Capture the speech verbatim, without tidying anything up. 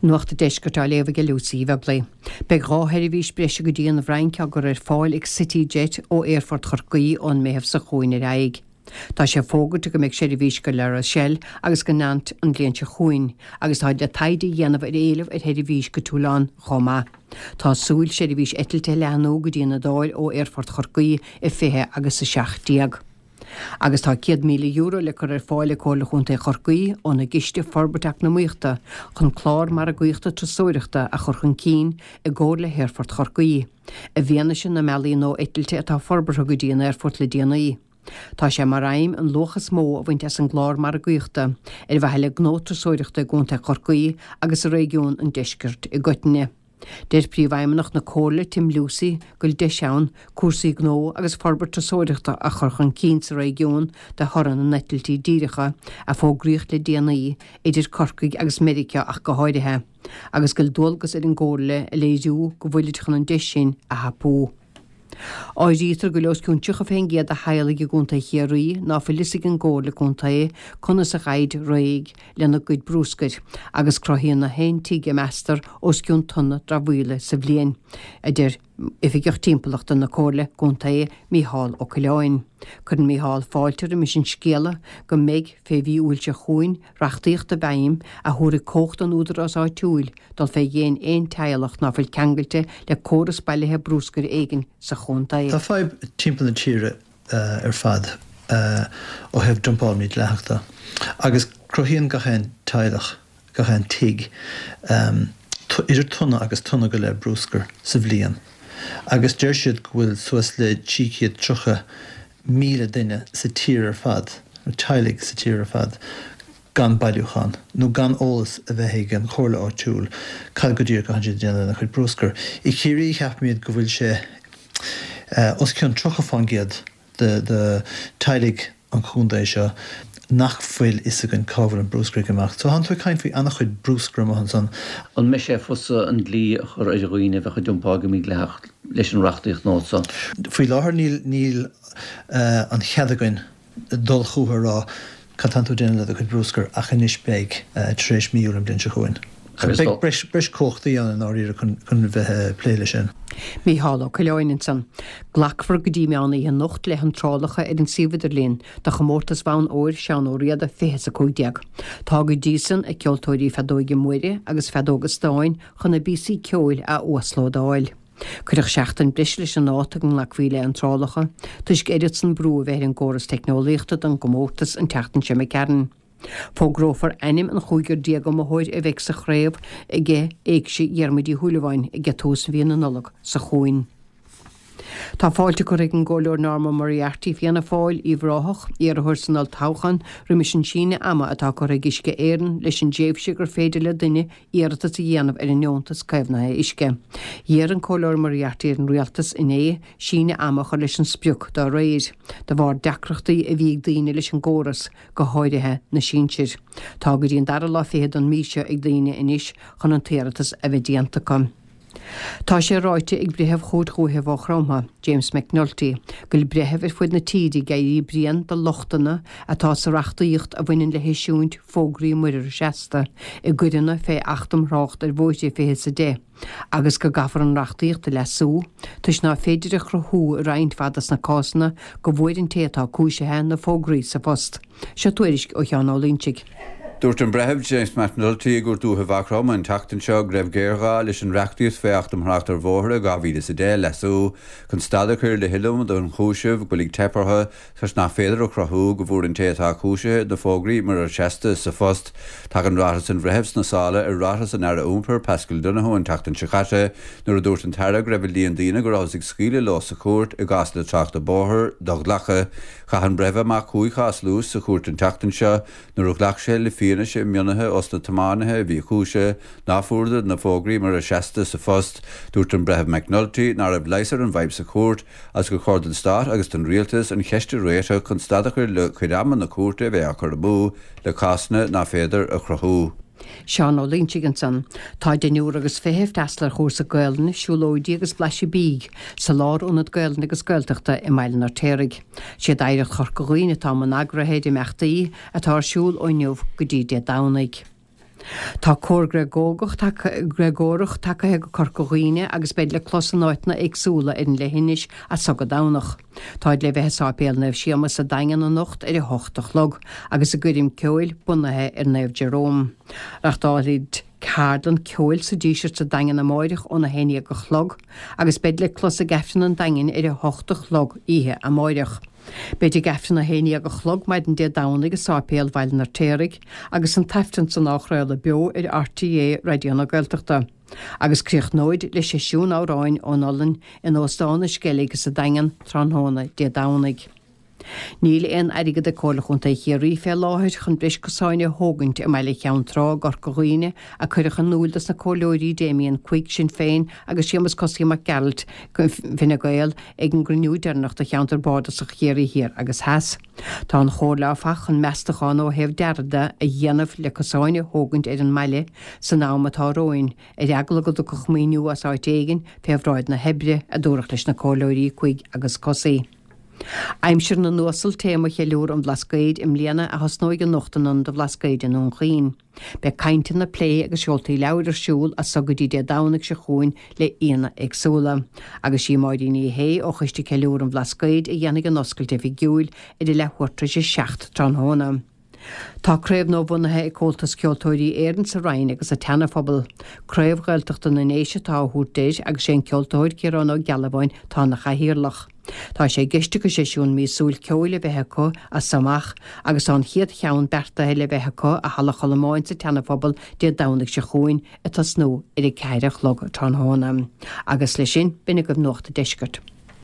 Nuacht an Deiscirt á léamh ag Lucy Webley. Beidh dhá sheirbhís breise go dtí an Fhrainc á gcur ar fáil ag CityJet ó Aerfort Chorcaí ón Meitheamh seo chugainn ar aghaidh. Tá sé fógartha go mbeidh seirbhís go La Rochelle agus go Nantes an bhliain seo chugainn, agus tá le taighde a dhéanamh ar éileamh ar sheirbhís go Toulon chomh maith. Tá súil seirbhís eitilte a leathnú go dtí an Iodáil ó Aerfort Chorcaí i fiche agus a seacht déag. Agus tá céad míle euro le cur ar fáil ag Comhairle Chontae Chorcaí óna gCiste Forbartha Eacnamaíochta chun clár margaíochta turasóireachta a chur chun cinn i gcomhar le hAerfort Chorcaí, i bhfianaise na mbealaí nua eitilte atá forbartha go dtí an aerfort le déanaí. Tá sé mar aidhm an luach is mó a bhaint as an gclár margaíochta ar mhaithe le gnó turasóireachta i gContae Chorcaí agus i réigiún an Deiscirt i gcoitinne. Deir Príomhfheidhmeannach na Comhairle Tim Lucey go bhfuil deis ann cúrsaí gnó agus forbairt turasóireachta a chur chun cinn sa réigiún de thoradh na n-eitiltí díreacha a fógraíodh le déanaí idir Corcaigh agus Meiriceá ach go háirithe, agus go bhfuil dualgas ar an gComhairle a léiriú go bhfuilid chun an deis sin a thapú. Áirítear go bhfuil os cionn tríocha faoin gcéad de theaghlaigh i gContae Chiarraí ná fuil fhios ag an gComhairle Contae conas a ghabhaid réidh lena gcuid brúscair, agus cruthaíonn na haon tigh a meastar os cionn tonna dramhaíola sa bhliain, a deir Oifigeach Timpeallachta na Comhairle Contae, Mícheál Ó Coileáin. Cuireann Mícheál fáilte roimis an scéala go mbeidh, fé mhí Iúil seo chugainn, reachtaíocht i bhfeidhm a thabharfaidh cumhacht don údarás áitiúil dul fé dhéin aon teaghlach ná fuil ceangailte le córas bailithe brúscair éigin sa chontae. Tá fadhb timpeall na tíre ar fad ó thaobh dumpáil mídhleathach de agus cruthaíonn gach aon teaghlach, gach aon tigh, idir tonna agus tonna go leith brúscair sa bhliain agus deir siad go bhfuil suas le trí chéad tríocha míle duine sa tír ar fad, nó teaghlaigh sa tír ar fad, gan bailiúchán nó gan eolas a bheith ag an chomhairle áitiúil cad go díreach atá siad ag déanamh lena chuid brúscair. I Ciarraí ceapaimid go bhfuil sé os cionn tríocha fán gcéad de de teaghlaigh an chontae seo nach bhfuil fhios againn cá bhfuil an brúscar ag imeacht. So tánn tú ag caint faoi an-chuid brúscar amuigh ansan. An mbeidh sé fusa an dlí a chur ar dhaoine a bheadh ag dumpáil go mídhleathach leis an reachtaíocht nua seo? Faoi láthair níl níl an chead againn dul chucu a rá cad tánn tú ag déanamh le do chuid brúscair ach anois beidh tar éis mí Iúil an bhliain seo chugainn. Beidh breis breis cumhachtaí ann i ndáiríre chun chun bheith ag plé leis sin. Mícheál Ó Coileáin ansan. Glacfar go dtí meán oíche anocht le hiontrálacha ar an suíomh idirlín do chomórtas Bhonn Óir Seán Ó Riada fiche is a cúig déag. Tá go dtí san ag ceoltóirí feadóige móire agus feadóga stáin chun a bpíosaí ceoil a uaslódáil. Cuireadh seachtain breise leis an dáta go nglacfaí le hiontrálacha toisc oiread san brú a bheith ar an gcóras teicneolaíochta don gcomórtas an tseachtain seo imigh tharainn. Fógrófar ainm an chúigear déag iomaitheoir a bheidh sa chraobh ag Éigse Dhiarmuid Uí Shúilleabháin ag tús mhí na Nollag seo chugainn. Tá fáilte curtha ag an gComhairleoir Norma Moriarty, Fianna Fáil, Uíbh Ráthach, iarrthóir san olltoghchán, roimis an síneadh ama atá curtha ag Uisce Éireann leis an dtréimhse gur féidir le duine iarratas a dhéanamh ar an nDeontas Caomhnaithe Uisce. D'iarr an Comhairleoir Moriarty ar an Rialtas inné síneadh ama a chur leis an sprioc dá réir, de bharr deacrachtaí a bhí ag daoine leis an gcóras, go háirithe na sinsir. Tá go dtí an dara lá fichead den mhí seo ag daoine anois chun an t-iarratas a bheith déanta acu. Tá sé ráite ag Breitheamh Chúirt Dhúiche Mhaigh Chromtha, James McNulty, go bhfuil breithimh ar fud na tíre ag éirí bréan de lochtanna atá sa reachtaíocht a bhaineann le heisiúint fógraí muirear seasta i gcoireanna fé Acht um Thrácht ar Bhóithre fiche is a deich agus go gcaithfear an reachtaíocht a leasú toisc ná féidir a chruthú i roinnt mhaith dos na cásanna go bhfuair an té atá cúisithe na fógraí sa phost. Seo tuairisc ó Sheán Ó Loinsigh. Dúirt an Breitheamh James McNulty i gCúirt Dúiche Mhaigh Chromtha an tseachtain seo go raibh géarghá leis an reachtaíocht fé Acht um Thrácht ar Bhóithre dhá mhíle is a deich a leasú chun stad a chur le hiliomad ionchúiseamh go bhfuil ag teip orthu toisc nach féidir a chruthú go bhfuair an té atá cúisithe na fógraí muirear seasta sa phost. Tagann ráiteas an Bhreithimh sna sála ar ráiteas an Aire Iompair Paschal Donohoe an tseachtain seo caite nuair a dúirt an tAire go raibh an líon daoine go rabhthas ag scaoileadh leo sa chúirt i gcásanna tráchta bóthair do-ghlactha. Chaith an Breitheamh amach cúig chás luais sa chúirt an tseachtain seo nuair a ghlac sé le fianaise mionnaithe ós na tiománaithe a bhí cúisithe ná fuaireadar na fógraí muirear seasta sa phost. Dúirt an Breitheamh McNulty ná raibh leigheas ar an bhfadhb sa chúirt agus gur chóir don Stát agus don Rialtas an cheist a réiteach chun stad a chur le cuid ama na cúirte a bheith á cur amú le cásanna ná féidir a chruthú. Seán Ó Loinsigh ansan. Tá deichniúr agus fiche ag freastal ar chúrsa Gaelainne, siúlóidí agus blaiseadh bídh sa Lárionad Gaelainne agus Gaeltachta i mBaile an Fheirtéaraigh. Siad Oidhreacht Chorca Dhuibhne atá i mbun eagraithe ar imeachtaí atá ar siúl ó inniu go dtí Dé Domhnaigh. Tá cór Gréagógach Gréagórach tagaithe go Corca Dhuibhne agus beid le clos in áiteanna éagsúla ar an leithinis as so go Domhnach. Táid le bheith i Sáipéal Naomh Séamus sa Daingean anocht ar a hocht a chlog agus a gcoirm ceoil bunaithe ar Naomh Jerome. Reáchtálfaid ceardlann ceoil sa Díseart sa Daingean amáireach óna haon déag a chlog agus beid le clos ag Aifreann an Daingin ar a hocht a chlog oíche amáireach. Beid ag Aifreann a haon déag a chlog maidin Dé Domhnaigh i Sáipéal Bhaile an Fheirtéaraigh agus an t-aifreann san á chraoladh beo ar RTÉ Raidió na Gaeltachta. Agus críochnóid le seisiún amhráin ón Ollainn in Óstán an Sceilg sa Daingean tráthnóna Dé Domhnaigh. Níl aon airgead ag Comhairle Chontae Chiarraí fé láthair chun breis cosáin a thógaint i mbaile Cheann Trá i gCorca Dhuibhne a cuireadh in iúl dos na comhairleoirí Damien Quigg, Sinn Féin, agus Séamus Cosaí Mac Gearailt, Fine Gael, ag an gcruinniú deireanach do cheantar bardasach Chiarraí Thiar agus Theas. Tá an chomhairle áfach chun meastachán ó thaobh dearaidh de a dhéanamh le cosáin a thógaint ar an mbaile san am atá romhainn, ar eagla go dtiocfadh maoiniú as áit éigin fé bhráid na hoibre, a dúradh leis na comhairleoirí Quigg agus Cosaí. Aimsir na nUasal téama cheiliúradh an Bhlascaoid i mbliana a thosnóidh anocht in Ionad an Bhlascaoid i nDún Chaoin. Beidh cainteanna, plé agus seoltaí leabhair ar siúl as so go dtí Dé Domhnaigh seo chugainn le aíonna éagsúla. Agus sí Máirín Ní Shé ó Choiste Ceiliúradh an Bhlascaoid a dhéanfaidh an oscailt oifigiúil ar a leathuair tar éis a seacht tráthnóna. Tá craobh nua-bhunaithe ag Comhaltas Ceoltóirí Éireann sa Rinn agus sa tSeana-Phobal. Craobh Ghaeltachta na nDéise atá á thabhairt air agus sé an ceoltóir Ciarán Ó Gealbháin atá ina chathaoirleach. Tá sé i gceist acu seisiún míosúil ceoil a bheith acu as so amach agus tá an chéad cheann beartaithe le bheith acu i Halla Cholmáin sa tSeana-Phobal Dé Domhnaigh seo chugainn ag tosnú ar a ceathair a chlog tráthnóna. Agus leis sin, b'in agaibh Nuacht an Deiscirt.